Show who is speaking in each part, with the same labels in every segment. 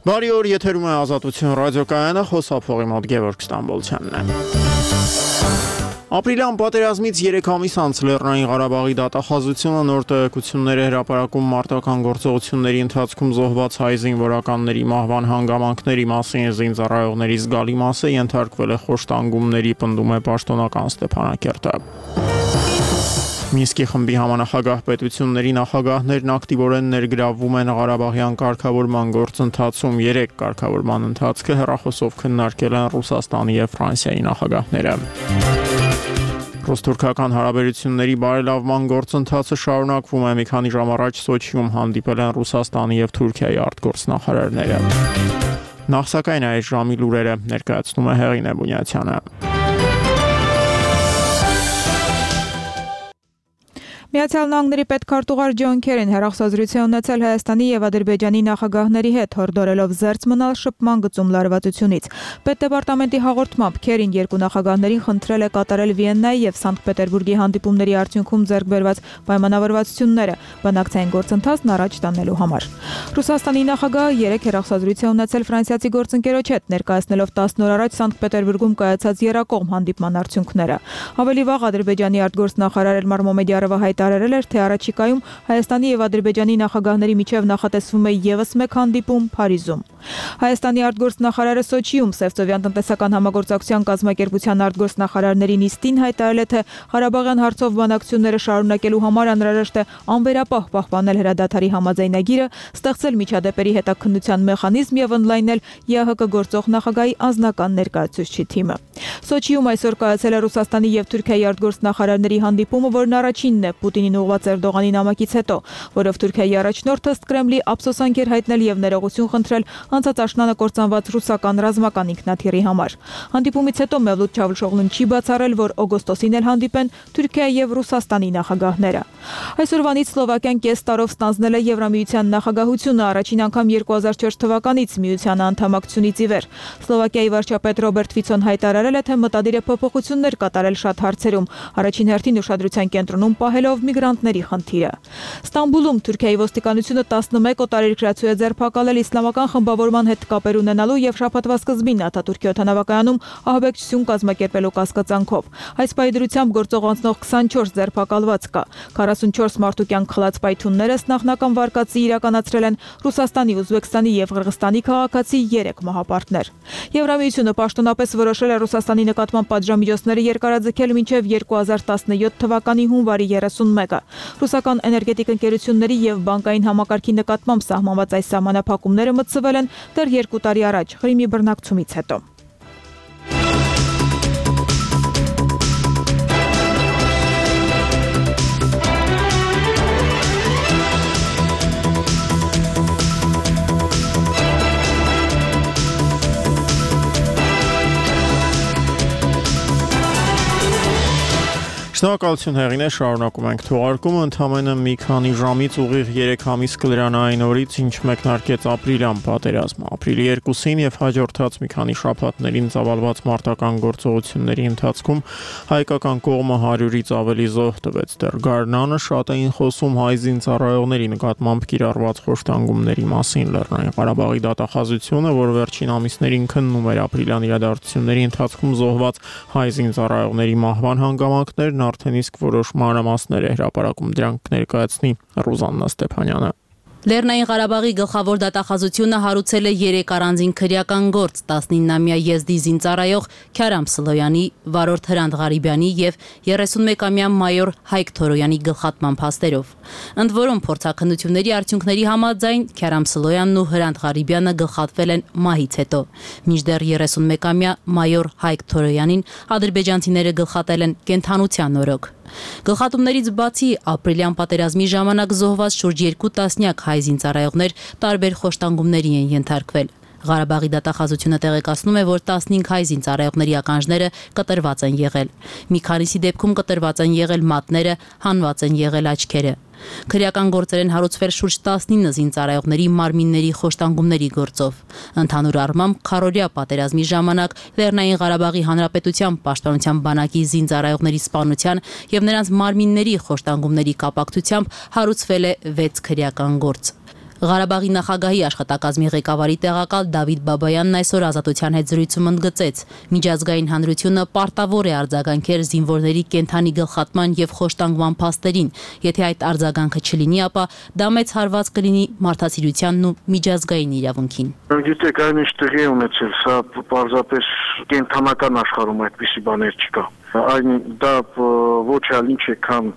Speaker 1: Բարի օր, եթերում է Ազատություն ռադիոկայանը, խոսափողի մոտ Գևորգ Ստամբոլցյանն է։ Ապրիլյան պատերազմից 3 ամիս անց Լեռնային Ղարաբաղի դատախազությունը նոր տեղեկություններ է հրապարակում մարտական գործողությունների ընթացքում զոհված հայ զինվորականների մահվան հանգամանքների մասին զինծառայողների զգալի մասը ենթարկվել է խոշտանգումների, պնդում է պաշտոնական Ստեփանակերտը։ Մինսկի խմբի համանախագահ պետությունների նախագահներն ակտիվորեն ներգրավվում են Ղարաբաղյան կարգավորման գործընթացում 3 կարգավորման ընթացքը հեռախոսով քննարկել են Ռուսաստանի և Ֆրանսիայի նախագահները։ Ռուս-թուրքական հարաբերությունների բարելավման գործընթացը շարունակվում է։ Մի քանի ժամ առաջ Սոչիում հանդիպել են Ռուսաստանի և Թուրքիայի արտգործնախարարները։ Նախ սակայն այս ժամի լուրերը ներկայացնում է Հեղինե Բունյացյանը։
Speaker 2: Միացյալ Նահանգների պետքարտուղար Ջոն Քերին հեռախոսազրույց է ունեցել Հայաստանի և Ադրբեջանի նախագահների հետ, հորդորելով զերծ մնալ շփման գծում լարվածությունից։ Պետդեպարտամենտի հաղորդմամբ Քերին երկու նախագահներին խնդրել է կատարել Վիեննայի և Սանկտ Պետերբուրգի հանդիպումների արդյունքում ձեռք բերված պայմանավորվածությունները բանակցային գործընթացն առաջ տանելու համար։ Ռուսաստանի նախագահը 3 հեռախոսազրույց է ունեցել ֆրանսիացի գործընկերոջ հետ, ներկայացնելով 10 օր առաջ Սանկտ Պետերբուրգում կայացած եռակողմ հանդիպման արդյունքները։ Ավելի վաղ Ադրբեջանի արտգործնախարար Էլմար Մոմեդյարովը հայտարարել էր, թե առաջիկայում Հայաստանի և Ադրբեջանի նախագահների միջև նախատեսվում է ևս մեկ հանդիպում Փարիզում։ Հայաստանի արտգործնախարարը Սոչիում Սևծովյան տնտեսական համագործակցության կազմակերպության արտգործնախարարների նիստին հայտարարել է, թե Ղարաբաղյան հարցով բանակցությունները շարունակելու համար անհրաժեշտ է անվերապահ պահպանել հրադադարի համաձայնագիրը, ստեղծել միջադեպերի հետաքննության մեխանիզմ և ընդլայնել ԵԱՀԿ գործող նախագահի անձնական ներկայացուցչի թիմը։ Սոչիում այսօր կայացել է Ռուսաստանի և Թուրքիայի արտգործնախարարների հանդիպումը, որն առաջինն է Պուտինին ուղղված Էրդողանի նամակից հետո, որով Թուրքիայի առաջնորդը ըստ Կրեմլի ափսոսանք էր հայտնել և ներողություն խնդրել անցած աշնանը կործանված ռուսական ռազմական ինքնաթիռի համար։ Հանդիպումից հետո Մևլութ Չավուշօղլուն չի բացառել, որ օգոստոսին էլ հանդիպեն Թուրքիայի և Ռուսաստանի նախագահները։ Այսօրվանից Սլովակիան կես տարով ստանձնել է Եվրամիության նախագահությունը, առաջին անգամ 2004 թվականից միությանը անդամակցությունից ի վեր։ Սլովակիայի վարչապետ Ռոբերտ Ֆիցոն հայտարարել է, թե մտադիր է փոփոխություններ կատարել շատ հարցերում, առաջին հերթին ուշադրության կենտրոնում պահելով միգրանտների խնդիրը։ Ստամբուլում Թուրքիայի ոստիկանությունը 11 օտարերկրացու է ձերբակալել իսլամական խմբավորման հետ կապեր ունենալու և շաբաթվա սկզբին Աթաթուրքի օդանավակայանում ահաբեկչություն կազմակերպելու կասկածանքով։ Այս պայդրությամբ գործող անցնող 24 ձերբակալված կա։ 44 մարդու կյանք խլած պայթյունները նախնական վարկածի իրականացրել են Ռուսաստանի, Ուզբեկստանի և Ղրղստանի քաղաքացի 3 մահապարտներ։ Եվրամիությունը պաշտոնապես որոշել է Ռուսաստանի նկատմամբ պատժամիջոցները երկարաձգել մինչև 2017 թվականի հունվարի 31-ը։ Ռուսական էներգետիկ ընկերությունների և բանկային համակարգի նկատմամբ սահմանված այս սահմանափակումները մտցվել են դեռ 2 տարի առաջ Ղրիմի բռնակցումից հետո։
Speaker 1: Շնորհակալություն Հեղինե, շարունակում ենք թողարկումը, ընդամենը մի քանի ժամից ուղիղ 3 ամիս կլրանա այն օրից, ինչ մեկնարկեց ապրիլյան պատերազմը։ Ապրիլի 2-ին և հաջորդած մի քանի շաբաթներին ծավալված մարտական գործողությունների ընթացքում հայկական կողմը 100-ից ավելի զոհ տվեց։ Դեռ գարնանը շատ էին խոսում հայ զինծառայողների նկատմամբ կիրառված խոշտանգումների մասին։ Լեռնային Ղարաբաղի դատախազությունը, որ վերջին ամիսներին քննում էր ապրիլյան իրադարձությունների ընթացքում զոհված հայ զինծառայողների մահվան հանգամանքներն, արդեն իսկ որոշ մանրամասներ է հրապարակում, դրանք ներկայացնի Ռուզաննա Ստեփանյանը։
Speaker 3: Լեռնային Ղարաբաղի գլխավոր դատախազությունը հարուցել է 3 առանձին քրեական գործ 19-ամյա եզդի զինծառայող Քարամ Սլոյանի, վարորդ Հրանտ Ղարիբյանի և 31-ամյա մայոր Հայկ Թորոյանի գլխատման փաստերով։ Ընդ որում փորձաքննությունների արդյունքների համաձայն Քարամ Սլոյանն ու Հրանտ Ղարիբյանը գլխատվել են մահից հետո, մինչդեռ 31-ամյա մայոր Հայկ Թորոյանին ադրբեջանցիները գլխատել են կենդանության օրոք։ Գլխատումներից բացի ապրիլյան պատերազմի ժամանակ զոհված շուրջ 2 տասնյակ հայ զինծառայողներ տարբեր խոշտանգումների են ենթարկվել։ Ղարաբաղի դատախազությունը տեղեկացնում է, որ 15 հայ զինծառայողների ականջները կտրված են եղել։ Մի քանիսի դեպքում կտրված են եղել մատները, հանված են եղել աչքերը։ Քրեական գործեր են հարուցվել շուրջ 19 զինծառայողների մարմինների խոշտանգումների գործով։ Ընդհանուր առմամբ քառօրյա պատերազմի ժամանակ Լեռնային Ղարաբաղի Հանրապետության պաշտպանության բանակի զինծառայողների սպանության եւ նրանց մարմինների խոշտանգումների կապակցությամբ հարուցվել է 6 քրեական գործ։ Ղարաբաղի նախագահի աշխատակազմի ղեկավարի տեղակալ Դավիթ Բաբայանն այսօր Ազատության հետ զրույցում ընդգծեց. միջազգային հանրությունը պարտավոր է արձագանքել զինվորների կենդանի գլխատման եւ խոշտանգման փաստերին, եթե այդ արձագանքը չլինի, ապա դա մեծ հարված կլինի մարդասիրությանն ու միջազգային իրավունքին։
Speaker 4: Գիտեք, այն ինչ տեղի է ունեցել, սա պարզապես կենդանական աշխարհում այդպիսի բաներ չկա։ Այն դա ոչ այլ ինչ է, քան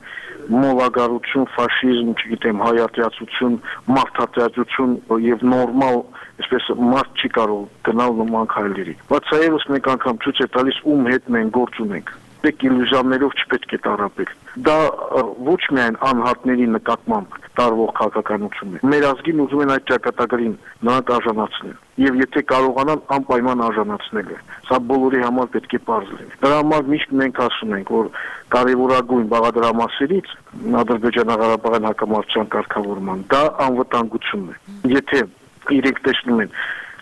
Speaker 4: մոլագարություն, ֆաշիզմ, չգիտեմ, հայատյացություն, մարդատյացություն եւ նորմալ, այսպես մարդ չի կարող գնալ նման քայլերի։ Բացայևս մեկ անգամ ցույց է տալիս ում հետ մենք գործ ունենք։ Դեք իլյուզիաներով չպետք է տարապել։ Դա ոչ միայն անհատների նկատմամբ տարվող քաղաքականություն է։ Մեր ազգին ուզում են այդ ճակատագրին նրանք արժանացնել։ Եվ եթե կարողանան անպայման արժանացնել է։ Սա բոլորի համար պետք է պարզ լինի։ Դրա համար միշտ մենք ասում ենք, որ կարևորագույն բաղադրամասերից Ադրբեջանա-Ղարաբաղյան հակամարտության կարգավորման դա անվտանգությունն է։ Եթե իրենք տեսնում են,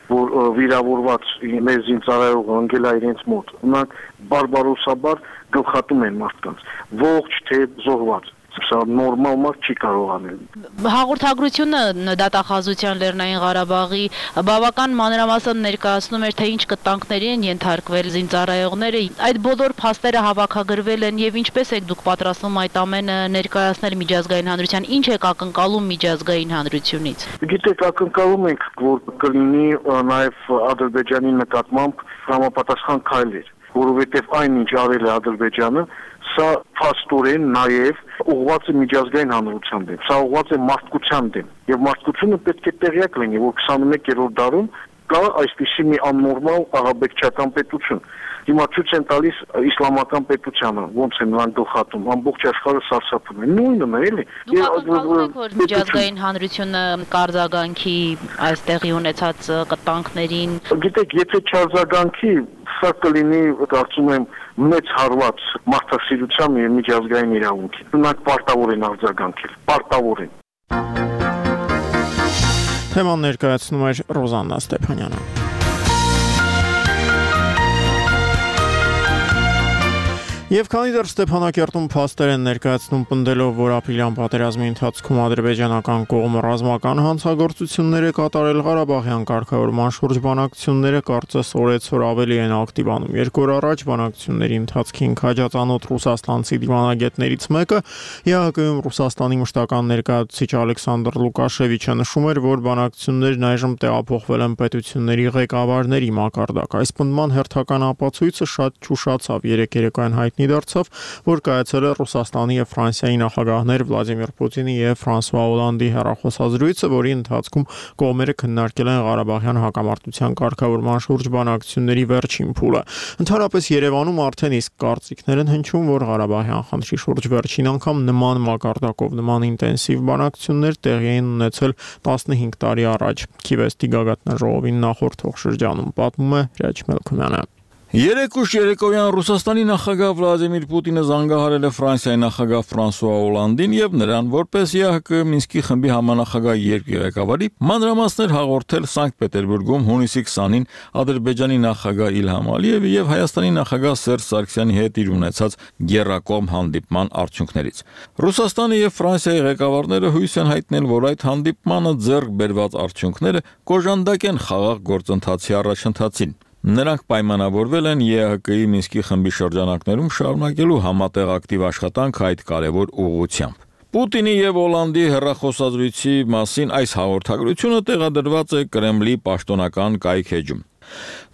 Speaker 4: որ վիրավորված մեր զինծառայողը ընկել է իրենց մոտ, նրանք բարբարոսաբար գլխատում են մարդկանց, ողջ թե զոհված։ Սա նորմալ մարդ չի կարող անել։
Speaker 3: Հաղորդագրությունը դատախազության Լեռնային Ղարաբաղի բավական մանրամասն ներկայացնում էր, թե ինչ կտանքների են ենթարկվել զինծառայողները։ Այդ բոլոր փաստերը հավաքագրվել են եւ ինչպես եք դուք պատրաստվում այդ ամենը ներկայացնել միջազգային հանրության, ինչ եք ակնկալում միջազգային հանրությունից։
Speaker 4: Գիտեք, ակնկալում ենք, որ կլինի նաեւ Ադրբեջանի նկատմամբ համապատասխան քայլեր, որովհետեւ այն ինչ արել է Ադրբեջանը, սա փաստորեն նաեւ ուղղված է միջազգային հանրության դեմ, սա ուղղված է մարդկության դեմ, եւ մարդկությունը պետք է տեղյակ լինի, որ 21-րդ դարում կա այսպիսի մի աննորմալ աղաբեկչական պետություն։ Հիմա ցույց են տալիս իսլամական պետությանը, ոնց են նրանք գլխատում, ամբողջ աշխարհը սարսափում է։ Նույնն է, էլի։
Speaker 3: Դուք ակնկալում եք, որ միջազգային հանրությունը կարձագանքի այստեղի ունեցած կտանքներին։
Speaker 4: Գիտեք, եթե չարձագանքի, սա կլինի, կարծում եմ, մեծ հարված մարդասիրության եւ միջազգային իրավունքի։ Նրանք պարտավոր են արձագանքել, պարտավոր են։
Speaker 1: Թեման ներկայացնում էր Ռոզաննա Ստեփանյանը։ Եվ քանի դեռ Ստեփանակերտում փաստեր են ներկայացնում պնդելով, որ ապրիլյան պատերազմի ընթացքում ադրբեջանական կողմը ռազմական հանցագործություններ է կատարել, Ղարաբաղյան կարգավորման շուրջ բանակցությունները կարծես օրեցօր ավելի են ակտիվանում։ 2 օր առաջ բանակցությունների ընթացքին քաջածանոթ ռուսաստանցի դիվանագետներից մեկը ԵԱՀԿ-ում Ռուսաստանի մշտական ներկայացուցիչ Ալեքսանդր Լուկաշևիչը նշում էր, որ բանակցություններն այժմ տեղափոխվել են պետությունների ղեկավարների մակարդակ։ Այս պնդման հերթական ապացույցը շատ ճուշացավ երեկոյան հայտնի դարձավ, որ կայացել է Ռուսաստանի եւ Ֆրանսիայի նախագահներ Վլադիմիր Պուտինի եւ Ֆրանսուଆ Օլանդի հեռախոսազրույցը, որի ընթացքում կողմերը քննարկել են Ղարաբաղյան հակամարտության կարգավորման շուրջ բանակցությունների վերջին փուլը։ Ընդհանրապես Երևանում արդեն իսկ կարծիքներ են հնչում, որ Ղարաբաղյան խնդրի շուրջ վերջին անգամ նման մակարդակով նման ինտենսիվ բանակցություններ տեղի են ունեցել 15 տարի առաջ։ Քիվեստի գագաթնաժողովին նախորդող շրջանում պատմում է Հրաչ Մելքումյանը։
Speaker 5: Երեկուշ երեկոյան Ռուսաստանի նախագահ Վլադիմիր Պուտինը զանգահարել է Ֆրանսիայի նախագահ Ֆրանսուଆ Օլանդին եւ նրան որպես ԵԱՀԿ Մինսկի խմբի համանախագահ երկրի ղեկավարի մանրամասներ հաղորդել Սանկտ Պետերբուրգում հունիսի 20-ին Ադրբեջանի նախագահ Իլհամ Ալիևի եւ Հայաստանի նախագահ Սերժ Սարգսյանի հետ իր ունեցած գերակոմ հանդիպման արդյունքներից։ Ռուսաստանի եւ Ֆրանսիայի ղեկավարները հույս են հայտնել, որ այդ հանդիպմանը ձեռք բերված արդյունքները կոժանդակ են խաղաղ գործընթացի առաջընթացին։ Նրանք պայմանավորվել են ԵԱՀԿ-ի Մինսկի խմբի շրջանակներում շարունակելու համատեղ ակտիվ աշխատանք այդ կարևոր ուղղությամբ։ Պուտինի եւ Օլանդի հեռախոսազրույցի մասին այս հաղորդագրությունը տեղադրված է Կրեմլի պաշտոնական կայքէջում։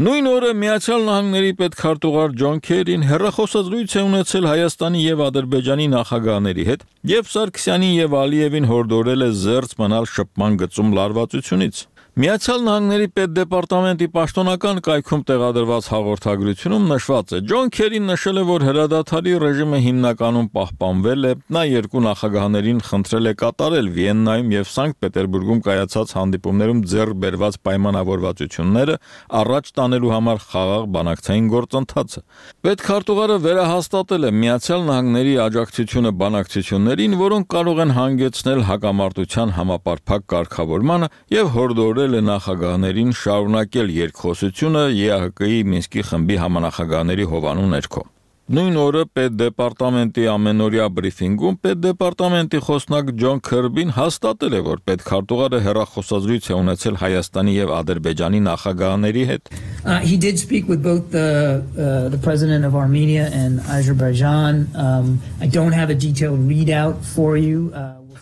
Speaker 5: Նույն օրը Միացյալ Նահանգների պետքարտուղար Ջոն Քերին հեռախոսազրույց է ունեցել Հայաստանի եւ Ադրբեջանի նախագահների հետ եւ Սարգսյանին եւ Ալիևին հորդորել է զերծ մնալ շփման գծում լարվածությունից։ Միացյալ Նահանգների պետդեպարտամենտի պաշտոնական կայքում տեղադրված հաղորդագրությունում նշված է. Ջոն Քերին նշել է, որ հրադադարի ռեժիմը հիմնականում պահպանվել է, նա երկու նախագահներին խնդրել է կատարել Վիեննայում եւ Սանկտ Պետերբուրգում կայացած հանդիպումներում ձեռք բերված պայմանավորվածությունները առաջ տանելու համար խաղաղ բանակցային գործընթացը։ Պետքարտուղարը վերահաստատել է Միացյալ Նահանգների աջակցությունը բանակցություններին, որոնք կարող են հանգեցնել հակամարտության համապարփակ կարգավորմանը եւ հորդորել է նախագահներին շարունակել երկխոսությունը ԵԱՀԿ-ի Մինսկի խմբի համանախագահների հովանու ներքո։ Նույն օրը պետդեպարտամենտի ամենօրյա բրիֆինգում պետդեպարտամենտի խոսնակ Ջոն Քըրբին հաստատել է, որ պետքարտուղարը հեռախոսազրույց է ունեցել Հայաստանի եւ Ադրբեջանի նախագահների հետ։
Speaker 6: He did speak with both the president of Armenia and Azerbaijan. I don't have a detailed readout for you.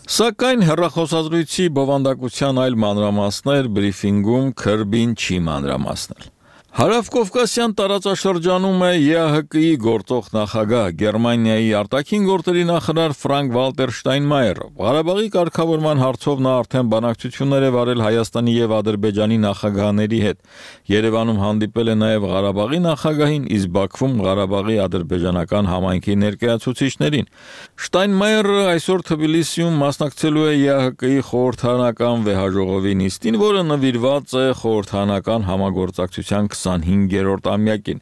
Speaker 5: Սակայն հեռախոսազրույցի բովանդակության այլ մանրամասներ բրիֆինգում Քըրբին չի մանրամասնել։ Հարավկովկասյան տարածաշրջանում է ԵԱՀԿ-ի գործող նախագահ Գերմանիայի արտաքին գործերի նախարար Ֆրանկ Վալտեր Շտայնմայերը։ Ղարաբաղի կարգավորման հարցով նա արդեն բանակցություններ է վարել Հայաստանի եւ Ադրբեջանի նախագահների հետ։ Երևանում հանդիպել է նաեւ Ղարաբաղի նախագահին, իսկ Բաքվում Ղարաբաղի ադրբեջանական համայնքի ներկայացուցիչներին։ Շտայնմայերը այսօր Թբիլիսիում մասնակցելու է ԵԱՀԿ-ի խորհրդարանական վեհաժողովի նիստին, որը նվիրված է խորհրդարանական համագործակցության 25-րդ ամյակին։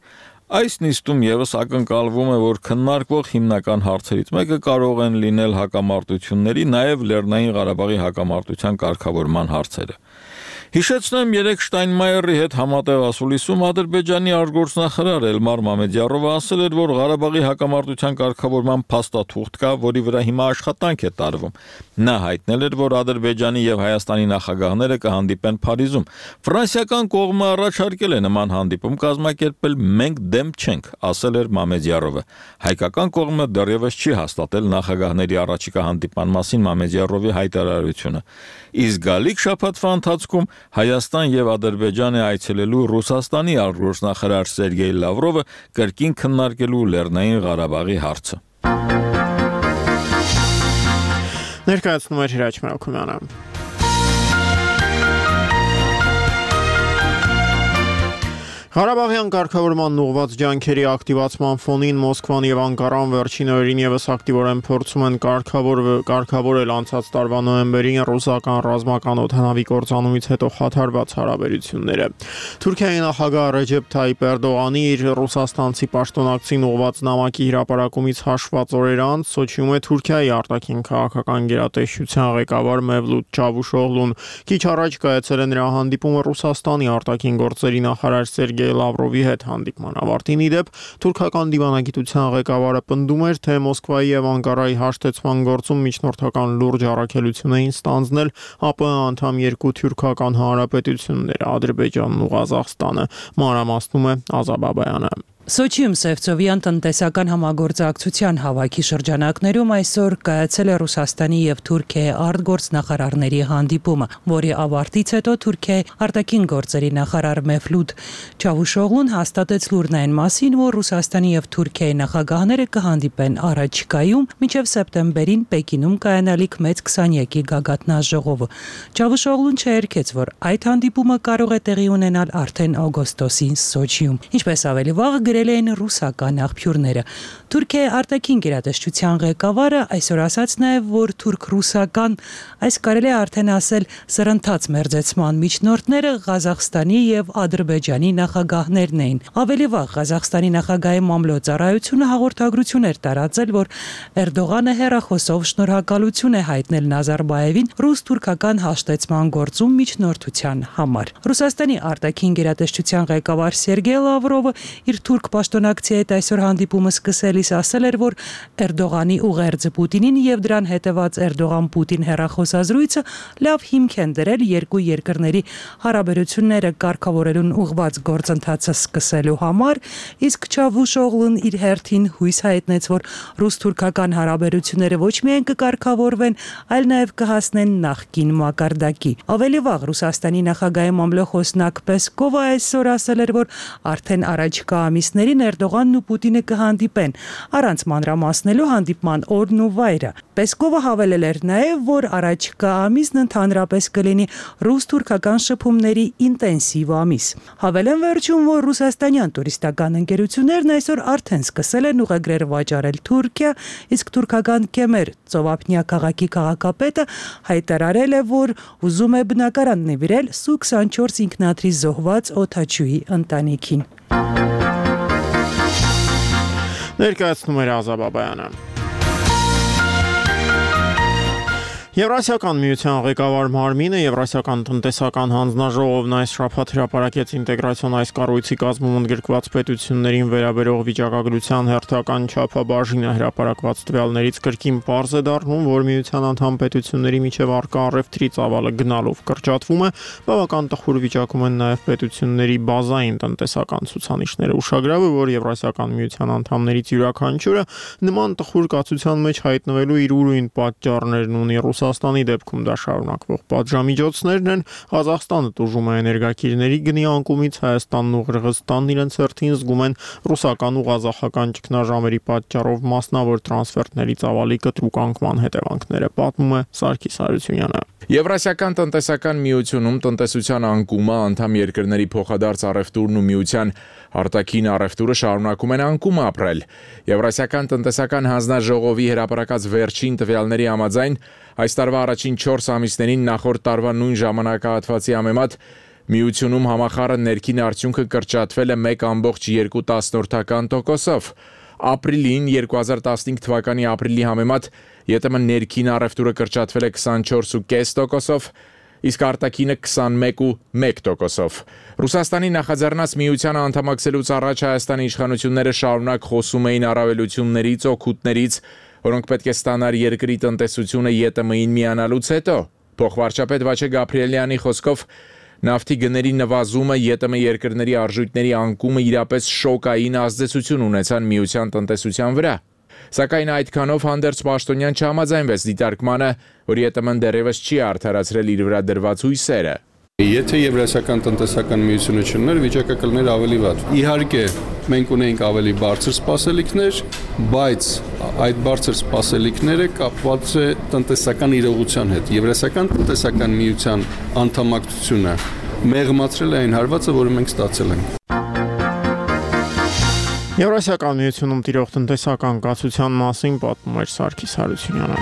Speaker 5: Այս նիստում եւս ակնկալվում է, որ քննարկվող հիմնական հարցերից մեկը կարող են լինել հակամարտությունների, նաեւ Լեռնային Ղարաբաղի հակամարտության կարգավորման հարցերը։ Հիշեցնեմ, երեք Շտայնմայերի հետ համատեղ ասուլիսում Ադրբեջանի արտգործնախարար Էլմար Մամեդյարովը ասել էր, որ Ղարաբաղի հակամարտության կարգավորման փաստաթուղթ կա, որի վրա հիմա աշխատանք է տարվում։ Նա հայտնել էր, որ Ադրբեջանի եւ Հայաստանի նախագահները կհանդիպեն Փարիզում։ Ֆրանսիական կողմը առաջարկել է նման հանդիպում կազմակերպել, մենք դեմ չենք, ասել էր Մամեդյարովը։ Հայկական կողմը դեռևս չի հաստատել նախագահների առաջիկա հանդիպման մասին Մամեդյարովի հայտարարությունը։ Իսկ գալիք շաբաթվա ընթացքում Հայաստան եւ Ադրբեջան է այցելելու Ռուսաստանի արտգործնախարար Սերգեյ Լավրովը կրկին քննարկելու Լեռնային Ղարաբաղի հարցը։
Speaker 1: Ներկայացնում է Հրաչ Մելքումյանը։ Ղարաբաղյան կարգավորման ուղղված ջանքերի ակտիվացման ֆոնին Մոսկվան եւ Անկարան վերջին օրերին եւս ակտիվորեն փորձում են կարգավորել անցած տարվա նոյեմբերին ռուսական ռազմական օդանավի կործանումից հետո խաթարված հարաբերությունները։ Թուրքիայի նախագահ Ռեջեփ Թայիպ Էրդողանի իր ռուսաստանցի պաշտոնակցին ուղղված նամակի հրապարակումից հաշված օրեր անց Սոչիում է Թուրքիայի արտաքին քաղաքական գերատեսչության ղեկավար Մևլութ Չավուշօղլուն։ Քիչ առաջ կայացել է նրա հանդիպումը Ռուսաստանի արտաքին գործերի նախարար Սերգեյ Լավրովի հետ հանդիպման ավարտին իդեպ թուրքական դիվանագիտության ղեկավարը պնդում էր, թե Մոսկվայի եւ Անկարայի հաշտեցման գործում միջնորդական լուրջ առաքելություն էին ստանձնել ԱՊՀ անդամ երկու թուրքական հանրապետությունները՝ Ադրբեջանն ու Ղազախստանը։ Մանրամասնում է Ազա Բաբայանը։
Speaker 7: Սոչիում Սևծովյան տնտեսական համագործակցության հավաքի շրջանակներում այսօր կայացել է Ռուսաստանի եւ Թուրքիայի արտգործնախարարների հանդիպումը, որի ավարտից հետո Թուրքիայի արտաքին գործերի նախարար Մևլութ Չավուշօղլուն հաստատեց լուրն այն մասին, որ Ռուսաստանի եւ Թուրքիայի նախագահները կհանդիպեն առաջիկայում մինչեւ սեպտեմբերին Պեկինում կայանալիք մեծ 20-յակի գագաթնաժողովը։ Չավուշօղլուն չերկեց, որ այդ հանդիպումը կարող է տեղի ունենալ արդեն օգոստոսին Սոչիում։ Ինչպես ավելի վաղ գրել էին ռուսական աղբյուրները։ Թուրքիայի արտաքին գերատեսչության ղեկավարը այսօր ասաց նաև, որ թուրք-ռուսական, այս կարելի է արդեն ասել սրընթաց մերձեցման միջնորդները Ղազախստանի եւ Ադրբեջանի նախագահներն էին։ Ավելի վաղ Ղազախստանի նախագահի մամլոյ-ծառայությունը հաղորդագրություն էր տարածել, որ Էրդողանը հեռախոսով շնորհակալություն է հայտնել Նազարբաևին ռուս-թուրքական հաշտեցման գործում միջնորդության համար։ Ռուսաստանի արտաքին գերատեսչության ղեկավար Սերգեյ Լավրովը իր թուրք պաշտոնակցի հետ այսօր հանդիպումը սկսելիս ասել էր, որ Էրդողանի ուղերձը Պուտինին եւ դրան հետեւած Էրդողան-Պուտին հեռախոսազրույցը լավ հիմք են դրել երկու երկրների հարաբերությունները կարգավորելուն ուղղված գործընթացը սկսելու համար, իսկ Չավուշօղլուն իր հերթին հույս հայտնեց, որ ռուս-թուրքական հարաբերությունները ոչ միայն կկարգավորվեն, այլ նաեւ կհասնեն նախկին մակարդակի։ Ավելի վաղ Ռուսաստանի նախագահի մամլոխոսնակ Պեսկովը այսօր ասել էր, որ արդեն առաջիկա ամիսներին Էրդողանն ու Պուտինը կհանդիպեն, առանց մանրամասնելու հանդիպման օրն ու վայրը։ Պեսկովը հավելել էր նաև, որ առաջիկա ամիսն ընդհանրապես կլինի ռուս-թուրքական շփումների ինտենսիվ ամիս։ Հավելեն վերջում, որ ռուսաստանյան տուրիստական ընկերություններն այսօր արդեն սկսել են ուղեգրեր վաճառել Թուրքիա, իսկ թուրքական Կեմեր ծովափնյա քաղաքի քաղաքապետը հայտարարել է, որ ուզում է բնակարան նվիրել Սու-24 ինքնաթիռի զոհված օդաչուի ընտանիքին։
Speaker 1: Ներկայացնում է Ազա Բաբայանը։ Եվրասիական միության ղեկավար մարմինը Եվրասիական տնտեսական հանձնաժողովն այս շաբաթ հրապարակեց ինտեգրացիոն այս կառույցի կազմում ընդգրկված պետություններին վերաբերող վիճակագրության հերթական չափաբաժինը հրապարակված տվյալներից կրկին պարզ է դառնում, որ միության անդամ պետությունների միջև առկա առևտրի ծավալը գնալով կրճատվում է, բավական տխուր վիճակում են նաև պետությունների բազային տնտեսական ցուցանիշները։ Ուշագրավ է, որ Եվրասիական միության անդամներից յուրաքանչյուրը նման տխուր կացության մեջ հայտնվելու իր ուրույն պատճառներն ունի։ Ռուսաստանի դեպքում դա շարունակվող պատժամիջոցներն են, Ղազախստանը տուժում է էներգակիրների գնի անկումից, Հայաստանն ու Ղրղըզստանն իրենց հերթին զգում են ռուսական ու ղազախական ճգնաժամերի պատճառով մասնավոր տրանսֆերտների ծավալի կտրուկ անկման հետևանքները, պատմում է Սարգիս Հարությունյանը։
Speaker 8: Եվրասիական տնտեսական միությունում տնտեսության անկումը, անդամ երկրների փոխադարձ առևտուրն ու միության արտաքին առևտուրը շարունակում են անկում ապրել։ Եվրասիական տնտեսական հանձնաժողովի հրապարակած վերջին տվյալների համաձայն այս տարվա առաջին 4 ամիսներին նախորդ տարվա նույն ժամանակահատվածի համեմատ միությունում համախառն ներքին արդյունքը կրճատվել է 1.2%-ով։ Ապրիլին 2015 թվականի ապրիլի համեմատ ԵՏՄ ներքին առևտուրը կրճատվել է 24.5%-ով, իսկ արտաքինը 21.1%-ով։ Ռուսաստանի նախաձեռնած միությանը անդամակցելուց առաջ Հայաստանի իշխանությունները շարունակ խոսում էին առավելություններից, օգուտներից, որոնք պետք է ստանար երկրի տնտեսությունը ԵՏՄ-ին միանալուց հետո։ Փոխվարչապետ Վաչե Գաբրիելյանի խոսքով նավթի գների նվազումը, ԵՏՄ երկրների արժույթների անկումը իրապես շոկային ազդեցություն ունեցան միության տնտեսության վրա։ Սակայն այդքանով հանդերձ Պաշտոնյան չհամաձայնվեց դիտարկմանը, որ ԵՏՄ-ն դեռևս չի արդարացրել իր վրա դրված հույսերը։
Speaker 9: Եթե Եվրասիական տնտեսական միությունը չլիներ, վիճակը կլիներ ավելի վատ։ Իհարկե, մենք ունենք ավելի բարձր սպասելիքներ, բայց այդ բարձր սպասելիքները կապված է տնտեսական իրողության հետ։ Եվրասիական տնտեսական միության անդամակցությունը մեղմացրել է այն հարվածը, որը մենք ստացել ենք։
Speaker 1: Եվրասիական միությունում տիրող տնտեսական կացության մասին պատմում էր Սարգիս Հարությունյանը։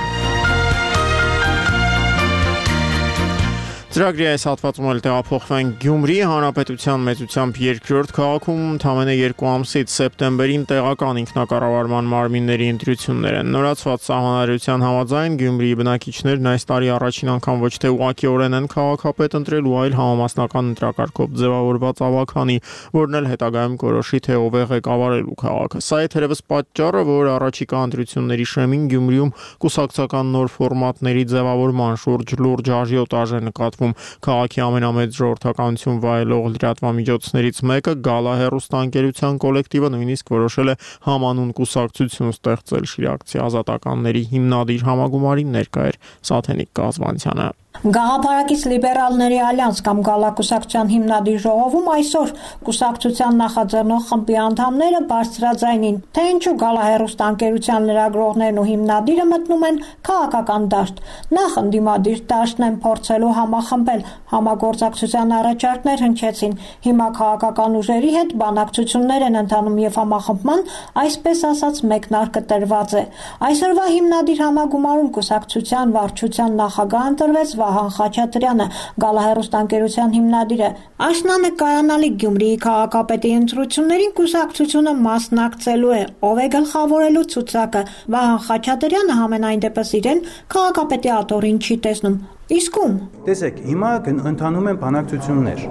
Speaker 1: Ծրագրի այս հատվածում էլ տեղափոխվենք Գյումրի հանրապետության մեծությամբ երկրորդ քաղաքում ընդամենը 2 ամսից սեպտեմբերին տեղական ինքնակառավարման մարմինների ընտրություններ են։ Նորացված սահմանադրության համաձայն Գյումրիի բնակիչներն այս տարի առաջին անգամ ոչ թե ուղղակիորեն են քաղաքապետ ընտրելու, այլ համամասնական ընտրակարգով ձևավորված ավագանի, որն էլ հետագայում կորոշի, թե ով է ղեկավարելու քաղաքը։ Սա է թերևս պատճառը, որ առաջիկա ընտրությունների շեմին Գյումրիում կուսակցական նոր ֆորմատների ձևավորման շուրջ լուրջ աժիոտաժ է նկատվում։ Քաղաքի ամենամեծ ժողովրդականություն վայելող լրատվամիջոցներից մեկը Գալա հեռուստաընկերության կոլեկտիվը նույնիսկ որոշել է համանուն կուսակցություն ստեղծել Շիրակցի ազատականների հիմնադիր համագումարին ներկա էր Սաթենիկ Կազվանցյանը։
Speaker 10: Գաղափարակից լիբերալների ալյանս կամ Գալակուսակցության հիմնադիր ժողովում այսօր կուսակցության նախաձեռնող խմբի անդամները բարձրաձայնին, թե ինչու Գալահեռուստաընկերության լրագրողներն ու հիմնադիրը մտնում են քաղաքական դաշտ։ Նախ ընդդիմադիր դաշտն են փորձելու համախմբել, համագործակցության առաջարկներ հնչեցին։ Հիմա քաղաքական ուժերի հետ բանակցություններ են ընթանում եւ համախմբման, այսպես ասած, մեկնարկը տրված է։ Այսօրվա հիմնադիր համագումարում կուսակցության վարչության նախագահ ընտրվեց Վահան Խաչատրյանը, Գալահեռուստաընկերության հիմնադիրը։ Աշնանը կայանալի Գյումրիի քաղաքապետի ընտրություններին կուսակցությունը մասնակցելու է, ով է գլխավորելու ցուցակը։ Վահան Խաչատրյանը համենայն դեպս իրեն քաղաքապետի աթոռին չի տեսնում։ Իսկ ում։
Speaker 11: Տեսեք, հիմա ընթանում են բանակցություններ։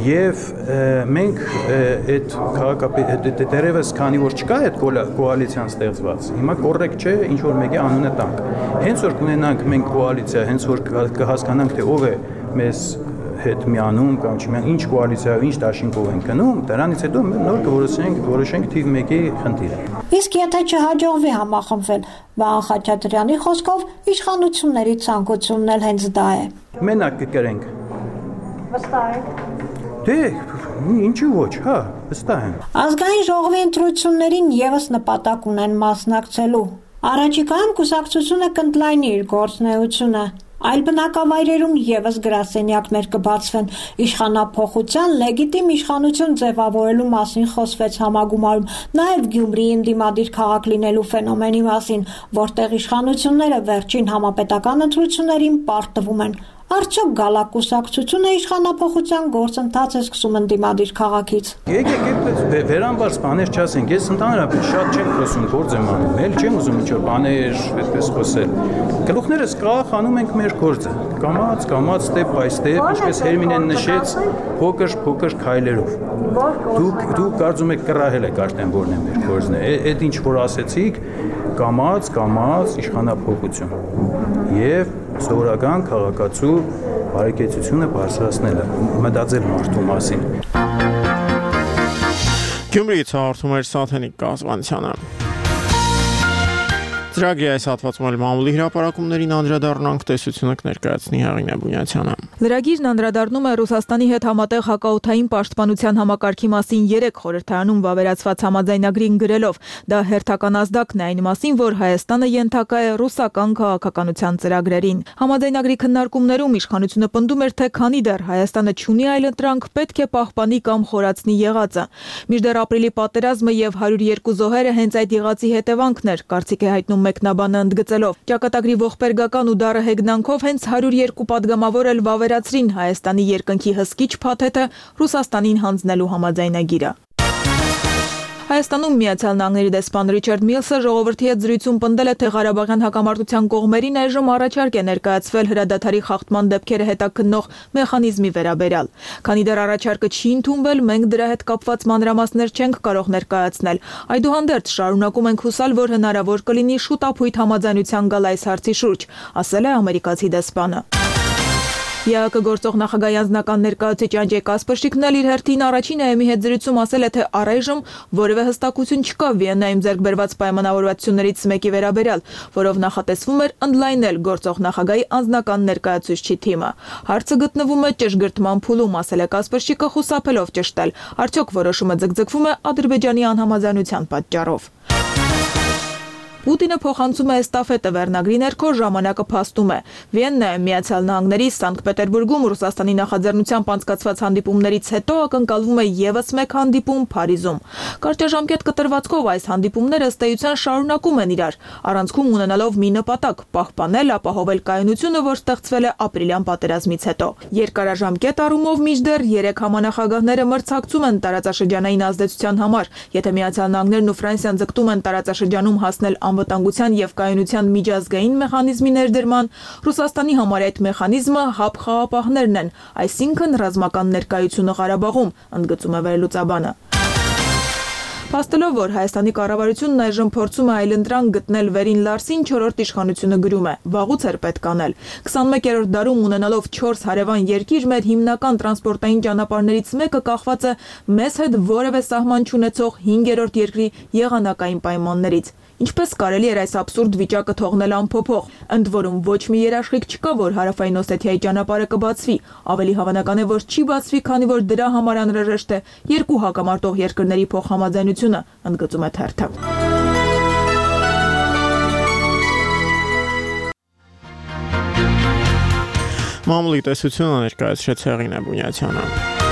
Speaker 11: Եվ մենք այդ քաղաքապետ դերևս քանի որ չկա այդ կոալիցիան ստեղծված, հիմա կոռեկտ չէ ինչ որ մեկի անունը տանք։ Հենց որ կունենանք մենք կոալիցիա, հենց որ կհասկանանք թե ով է մեզ հետ միանում կամ չմիանում, ինչ կոալիցիայով, ինչ դաշինքով են գնում, դրանից հետո նոր կորոշենք թիվ 1-ի խնդիրը։
Speaker 10: Իսկ եթե չհաջողվի համախմբվել, Վահան Խաչատրյանի խոսքով իշխանությունների ցանկությունն էլ հենց դա է։
Speaker 11: Մենակ կկրենք։
Speaker 10: Վստահ եք։
Speaker 11: Դե, ինչու ոչ, հա, վստահ եմ։
Speaker 10: Ազգային ժողովի ընտրություններին եւս նպատակ ունեն մասնակցելու։ Առաջիկայում կուսակցությունը կընդլայնի իր գործունեությունը։ Այլ բնակավայրերում եւս գրասենյակներ կբացվեն։ Իշխանափոխության լեգիտիմ իշխանություն ձևավորելու մասին խոսվեց համագումարում, նաեւ Գյումրիի ընդդիմադիր քաղաք լինելու ֆենոմենի մասին, որտեղ իշխանությունները վերջին համապետական ընտրություններին պարտվում են։ Արդյոք գալակուսակցությունը իշխանափոխության գործընթաց է սկսում ընդդիմադիր քաղաքից։
Speaker 11: Եկեք վերամբարձ բաներ չասենք, ես ընդհանրապես շատ չեմ խոսում, գործ եմ անում, էլ չեմ ուզում ինչ-որ բաներ այդպես խոսել։ Գլուխներս կախ անում ենք մեր գործը, կամաց, step by step, ինչպես Հերմինեն նշեց, փոքր քայլերով։ Դուք կարծում եք կռահել եք արդեն որն է մեր գործն է։ Այդ ինչ որ ասեցիք, կամաց իշխանափոխություն։ Եվ սովորական քաղաքացու բարեկեցությունը բարձրացնելը, մտածել մարդու մասին։
Speaker 1: Գյումրիից հաղորդում էր Սաթենիկ Կազվանցյանը։ Ծրագրի այս հատվածում էլ մամուլի հրապարակումներին անդրադառնանք, տեսությունը կներկայացնի Հեղինե Բունյացյանը։
Speaker 2: Լրագիրն անդրադառնում է Ռուսաստանի հետ համատեղ հակաօդային պաշտպանության համակարգի մասին 3 խորհրդարանում վավերացված համաձայնագրին գրելով, դա հերթական ազդակն է այն մասին, որ Հայաստանը ենթակա է ռուսական քաղաքականության ծրագրերին։ Համաձայնագրի քննարկումներում իշխանությունը պնդում էր, թե քանի դեռ Հայաստանը չունի այլ ընտրանք, պետք է պահպանի կամ խորացնի եղածը։ Մինչդեռ ապրիլի պատերազմը եւ 102 զոհերը հենց այդ եղածի հետևանքն էր, կարծիք է հայտնում մեկնաբանը ընդգծելով։ Ճակատագրի ողբերգական ու դառը հեգնանքով հենց 102 падգամավոր էլ վավերացրին Հայաստանի երկնքի հսկիչ փաթեթը Ռուսաստանին հանձնելու համաձայնագիրը։ Հայաստանում Միացյալ Նահանգների դեսպան Ռիչարդ Միլսը ժողովրդի հետ զրույցում պնդել է, թե Ղարաբաղյան հակամարտության կողմերին այժմ առաջարկ է ներկայացվել հրադադարի խախտման դեպքերը հետաքննող մեխանիզմի վերաբերյալ։ Քանի դեռ առաջարկը չի ընդունվել, մենք դրա հետ կապված մանրամասներ չենք կարող ներկայացնել։ Այդուհանդերձ շարունակում ենք հուսալ, որ հնարավոր կլինի շուտապույտ համաձայնության գալ այս հարցի շուրջ, ասել է ամերիկացի դեսպանը։ ԵԱԿ գործող նախագահի անձնական ներկայացուցիչ Անջեյ Կասպրշիկն էլ իր հերթին առաջին ԱԵՄ-ի հետ զրույցում ասել է, թե առայժմ որևէ հստակություն չկա Վիեննայում ձեռք բերված պայմանավորվածություններից մեկի վերաբերյալ, որով նախատեսվում էր ընդլայնել գործող նախագահի անձնական ներկայացուցչի թիմը։ Հարցը գտնվում է ճշգրտման փուլում, ասել է Կասպրշիկը խուսափելով ճշտել, արդյոք որոշումը ձգձգվում է Ադրբեջանի անհամաձայնության պատճառով։ Պուտինը փոխանցում է էստաֆետը վերնագրի ներքո ժամանակը փաստում է։ Վիեննայում Միացյալ Նահանգների Սանկտ Պետերբուրգում Ռուսաստանի նախաձեռնությամբ անցկացված հանդիպումներից հետո ակնկալվում է եւս մեկ հանդիպում Փարիզում։ Կարճաժամկետ կտրվածքով այս հանդիպումները ըստ էության շարունակում են իրար, առանցքում ունենալով մի նպատակ՝ պահպանել, ապահովել կայունությունը, որ ստեղծվել է ապրիլյան պատերազմից հետո։ Երկարաժամկետ առումով մինչդեռ 3 համանախագահները մրցակցում են տարածաշրջանային ազդեցության համար։ Եթե Միացյալ Նահանգներն ու Ֆրանսիան ձգտում են տարածաշրջանում հասնել անվտանգության եւ կայունության միջազգային մեխանիզմի ներդրման, Ռուսաստանի համար այդ մեխանիզմը հապ խաղապահներն են, այսինքն ռազմական ներկայությունը Ղարաբաղում, ընդգծում է վերլուծաբանը։ Փաստելով, որ Հայաստանի կառավարությունն այժմ փորձում է այլընտրանք գտնել վերին Լարսին, 4-րդ իշխանությունը գրում է. վաղուց էր պետք անել։ 21-րդ դարում ունենալով 4 հարևան երկիր, մեր հիմնական տրանսպորտային ճանապարհներից մեկը կախված է մեզ հետ որևէ սահման չունեցող 5-րդ երկրի եղանակային պայմաններից։ Ինչպես կարելի էր այս абսուրդ վիճակը թողնել անփոփոխ։ Ընդ որում ոչ մի երաշխիք չկա, որ Հարավային Օսեթիայի ճանապարհը կբացվի։ Ավելի հավանական է, որ չի բացվի, քանի որ դրա համար անհրաժեշտ է երկու հակամարտող երկրների փոխհամաձայնությունը, ընդգծում է թերթը։
Speaker 1: Մամուլի տեսությունը ներկայացրեց Հեղինե Բունյացյանը։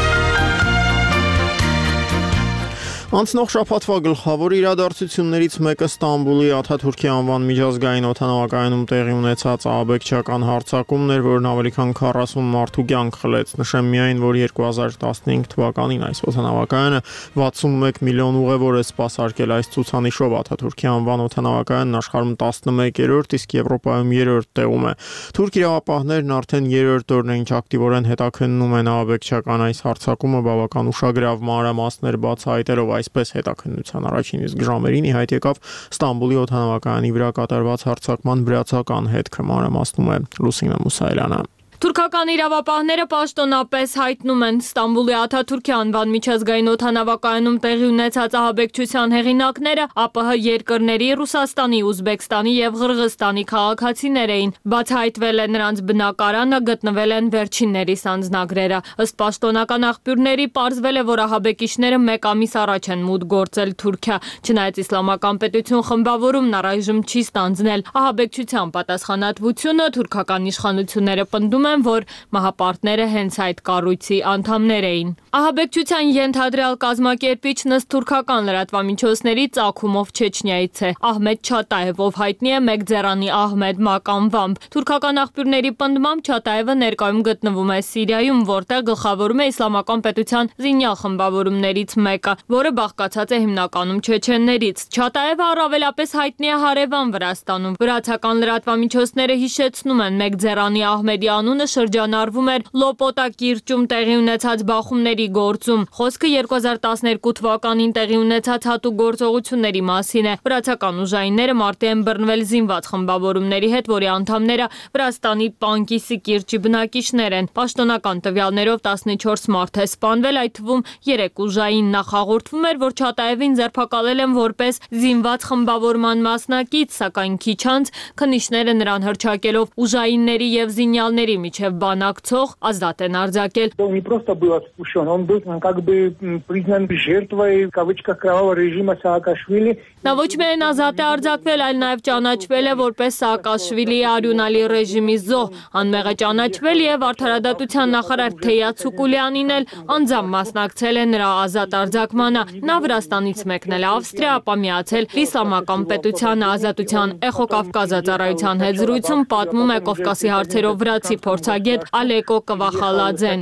Speaker 1: Անցնող շաբաթվա գլխավոր իրադարձություններից մեկը Ստամբուլի Աթաթուրքի անվան միջազգային օդանավակայանում տեղի ունեցած ահաբեկչական հարձակումն էր, որն ավելի քան 40 մարդու կյանք խլեց։ Նշեմ միայն, որ 2015 թվականին այս օդանավակայանը 61 միլիոն ուղևոր է սպասարկել այս ցուցանիշով։ Աթաթուրքի անվան օդանավակայանն աշխարհում 11-րդ, իսկ Եվրոպայում 3-րդ տեղում է։ Թուրք իրավապահներն արդեն 3-րդ օրն է, ինչ ակտիվորեն հետաքննում են ահաբեկչական այս հարձակումը, բավական ուշագրավ մանրամասներ բացահայտելով այսպես հետաքննության առաջին իսկ ժամերին ի հայտ եկավ Ստամբուլի օդանավակայանի վրա կատարված հարձակման վրացական հետքը, մանրամասնում է Լուսինե Մուսայելյանը։
Speaker 12: Թուրքական իրավապահները պաշտոնապես հայտնում են Ստամբուլի Աթաթուրքի անվան միջազգային օդանավակայանում տեղի ունեցած ահաբեկչության հեղինակները ԱՊՀ երկրների Ռուսաստանի, Ուզբեկստանի եւ Ղրղստանի քաղաքացիներ էին։ Բացահայտվել է նրանց բնակարանը, գտնվել են վերջիններիս անձնագրերը։ Ըստ պաշտոնական աղբյուրների պարզվել է, որ ահաբեկիչները 1 ամիս առաջ են մուտք գործել Թուրքիա։ Չնայած իսլամական պետություն խմբավորումն առայժմ չի ստանձնել ահաբեկչության պատասխանատվությունը, թուրքական իշխանությունները պնդում են, են, որ մահապարտները հենց այդ կառույցի անդամներ էին։ Ահաբեկչության ենթադրյալ կազմակերպիչն ըստ թուրքական լրատվամիջոցների ծագումով Չեչնիայից է։ Ահմեդ Չատաև, ով հայտնի է Մեգձերանի Ահմեդ Մակ անվամբ։ Թուրքական աղբյուրների պնդմամբ Չատաևը ներկայում գտնվում է Սիրիայում, որտեղ գլխավորում է իսլամական պետության զինյալ խմբավորումներից մեկը, որը բաղկացած է հիմնականում չեչեններից։ Չատաևը առավելապես հայտնի է հարևան Վրաստանում։ Վրացական լրատվամիջոցները հիշեցնում են, Մեգձերանի Ահմեդի անունը շրջանառվում էր Լոպոտա կիրճում տեղի ունեցած բախումների գործում։ Խոսքը 2012 թվականին տեղի ունեցած հատուկ գործողությունների մասին է։ Վրացական ուժայինները մարտի են բռնվել զինված խմբավորումների հետ, որի անդամները Վրաստանի Պանկիսի կիրճի բնակիչներ են։ Պաշտոնական տվյալներով 14 մարդ է սպանվել, այդ թվում 3 ուժային։ Նախ հաղորդվում էր, որ Չատաևին ձերբակալել են որպես զինված խմբավորման մասնակից, սակայն քիչ անց քննիչները նրան հռչակելով ուժայինների եւ զինյալների միջև բանակցող ազատ են արձակել։
Speaker 13: Он не просто был отпущен, он был как бы признан жертвой, в кавычках, кровавого режима Саакашвили.
Speaker 12: Նա ոչ միայն ազատ է արձակվել, այլ նաև ճանաչվել է որպես Սաակաշվիլիի արյունալի ռեժիմի զոհ։ Անմեղը ճանաչվել եւ արդարադատության նախարար Թեյաց Սուկուլյանին էլ անձամբ մասնակցել է նրա ազատ արձակմանը։ Նա Վրաստանից մեկնել է Ավստրիա, ապա միացել Իսլամական պետությանը ազատության Էխո Կավկազա ծառայության հետ զրույցում պատմում է Կովկասի հարցերով վրացի փորձագետ Ալեկո Կվախալաձեն։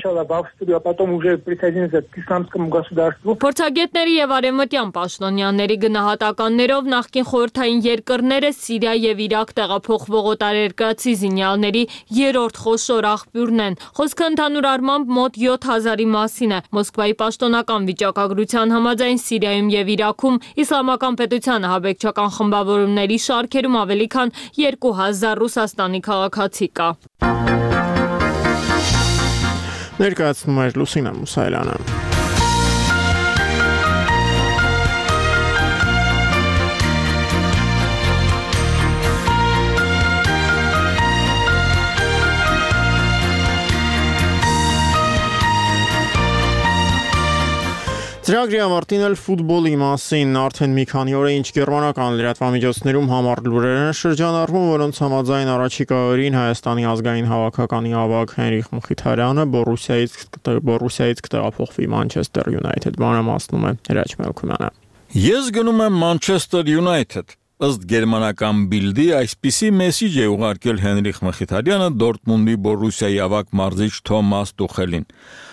Speaker 12: Փորձագետների եւ արևմտյան պաշտոնյաների գնահատականներով նախկին խորհրդային երկրները Սիրիա եւ Իրաք տեղափոխվող օտարերկրացի զինյալների երրորդ խոշոր աղբյուրն են։ Խոսքը ընդհանուր առմամբ մոտ 7000-ի մասին է։ Մոսկվայի պաշտոնական վիճակագրության համաձայն Սիրիայում եւ Իրաքում իսլամական պետության ահաբեկչական խմբավորումների շարքերում ավելի քան 2000 Ռուսաստանի քաղաքացի կա։
Speaker 1: Ներկայացնում է Լուսինա Մուսայելյանը։ Ծրագրի ավարտին էլ ֆուտբոլի մասին արդեն մի քանի օր է ինչ գերմանական լրատվամիջոցներում համառ լուրեր են շրջանառվում, որոնց համաձայն առաջիկա օրերին Հայաստանի ազգային հավաքականի ավագ Հենրիխ Մխիթարյանը Բորուսիայից կտեղափոխվի Մանչեսթեր Յունայթեդ, մանրամասնում է Հրաչ Մելքումյանը։
Speaker 5: Ես գնում եմ Մանչեսթեր Յունայթեդ։ Ըստ գերմանական Բիլդի այսպիսի մեսիջ է ուղարկել Հենրիխ Մխիթարյանը Դորտմունդի Բորուսիայի ավագ մարզիչ Թոմաս Տուխելին։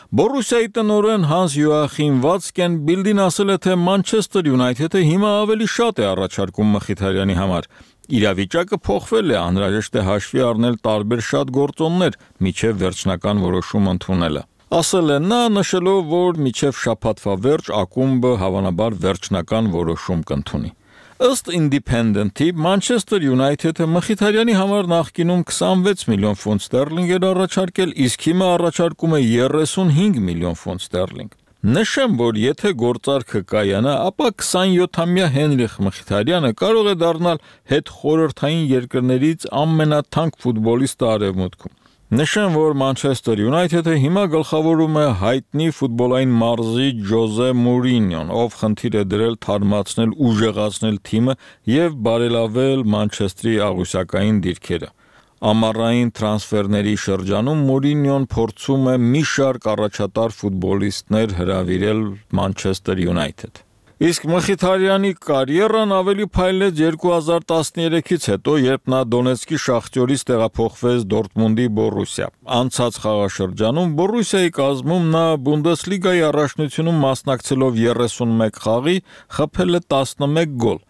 Speaker 5: Բորուսիայի տնօրեն Հանս Յոախիմ Վացկեն Բիլդին ասել է, թե Մանչեսթեր Յունայթեդը հիմա ավելի շատ է առաջարկում Մխիթարյանի համար։ Իրավիճակը փոխվել է, անհրաժեշտ է հաշվի առնել տարբեր շատ գործոններ, միջև վերջնական որոշում ընդունելը։ Ասել է նա, նշելով, որ միջև շաբաթվա վերջ ակումբը հավանաբար վերջնական որոշում կընդունի։ Ըստ Independent-ի Մանչեսթեր Յունայթեդը Մխիթարյանի համար նախկինում 26 միլիոն ֆունտ ստերլինգ էր առաջարկել, իսկ հիմա առաջարկում է 35 միլիոն ֆունտ ստերլինգ։ Նշեմ, որ եթե գործարքը կայանա, ապա 27-ամյա Հենրիխ Մխիթարյանը կարող է դառնալ հետխորհրդային երկրներից ամենաթանկ ֆուտբոլիստը Արևմուտքում։ Նշեմ, որ Մանչեսթեր Յունայթեդը հիմա գլխավորում է հայտնի ֆուտբոլային մարզիչ Ջոզե Մուրինյոն, ով խնդիր է դրել թարմացնել ուժեղացնել թիմը եւ բարելավել Մանչեստրի աղյուսակային դիրքերը։ Ամառային տրանսֆերների շրջանում Մուրինյոն փորձում է մի շարք առաջատար ֆուտբոլիստներ հրավիրել Մանչեսթեր Յունայթեդ։ Իսկ Մխիթարյանի կարիերան ավելի փայլեց 2013-ից հետո, երբ նա Դոնեցկի Շախտյորից տեղափոխվեց Դորտմունդի Բորուսիա։ Անցած խաղաշրջանում Բորուսիայի կազմում նա Բունդեսլիգայի առաջնությունում մասնակցելով 31 խաղի խփել է 11 գոլ։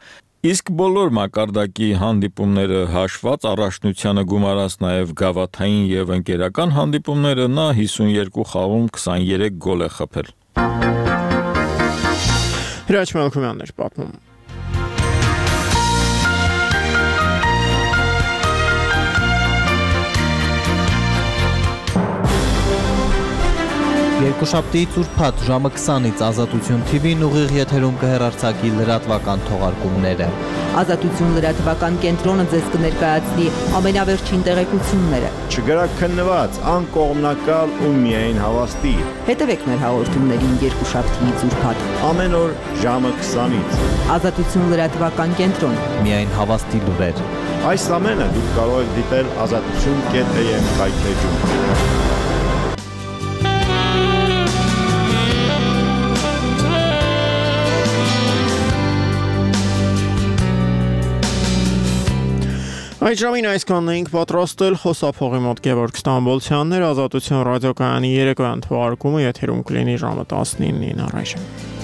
Speaker 5: Իսկ բոլոր մակարդակի հանդիպումները հաշված առաջնությանը գումարած նաև գավաթային եւ ընկերական հանդիպումները նա 52 խաղում 23 գոլ է խփել։
Speaker 1: Հրաչ Մելքումյանն էր պատմում։
Speaker 14: Երկուշաբթիից ուրբաթ ժամը 20-ից Ազատություն TV-ն ուղիղ եթերում կհեռարձակի լրատվական թողարկումները։
Speaker 15: Ազատություն լրատվական կենտրոնը ձեզ կներկայացնի ամենավերջին տեղեկությունները։
Speaker 16: Չգրաքննված, անկողմնակալ ու միայն հավաստի։
Speaker 15: Հետևեք մեր հաղորդումներին երկուշաբթիից ուրբաթ
Speaker 16: ամեն օր ժամը 20-ից։
Speaker 15: Ազատություն լրատվական կենտրոն։
Speaker 14: Միայն հավաստի լուրեր։
Speaker 16: Այս ամենը դուք կարող եք դիտել azatutsun.am կայքէջում։
Speaker 1: Այդ ժամին այսքանն էինք պատրաստել խոսափողի մոտ Գևորգ Ստամբոլցյանն էր, Ազատություն ռադիոկայանի երեկոյան թողարկումը եթերում կլինի ժամը 19-ին առայժմ։